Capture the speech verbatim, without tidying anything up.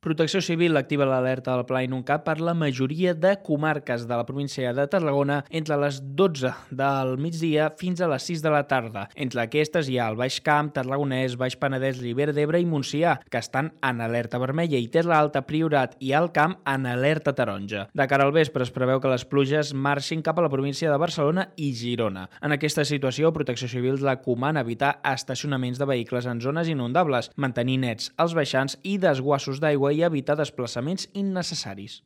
Protecció Civil activa l'alerta del Pla Inuncat per la majoria de comarques de la província de Tarragona entre les dotze del migdia fins a les sis de la tarda. Entre aquestes hi ha el Baix Camp, Tarragonès, Baix Penedès, Ribera d'Ebre i Montsià, que estan en alerta vermella, i Terra Alta, Priorat i Alt Camp en alerta taronja. De cara al vespre es preveu que les pluges marxin cap a la província de Barcelona i Girona. En aquesta situació, Protecció Civil recomana evitar estacionaments de vehicles en zones inundables, mantenir nets els baixants i desguassos d'aigua i evitar desplaçaments innecessaris.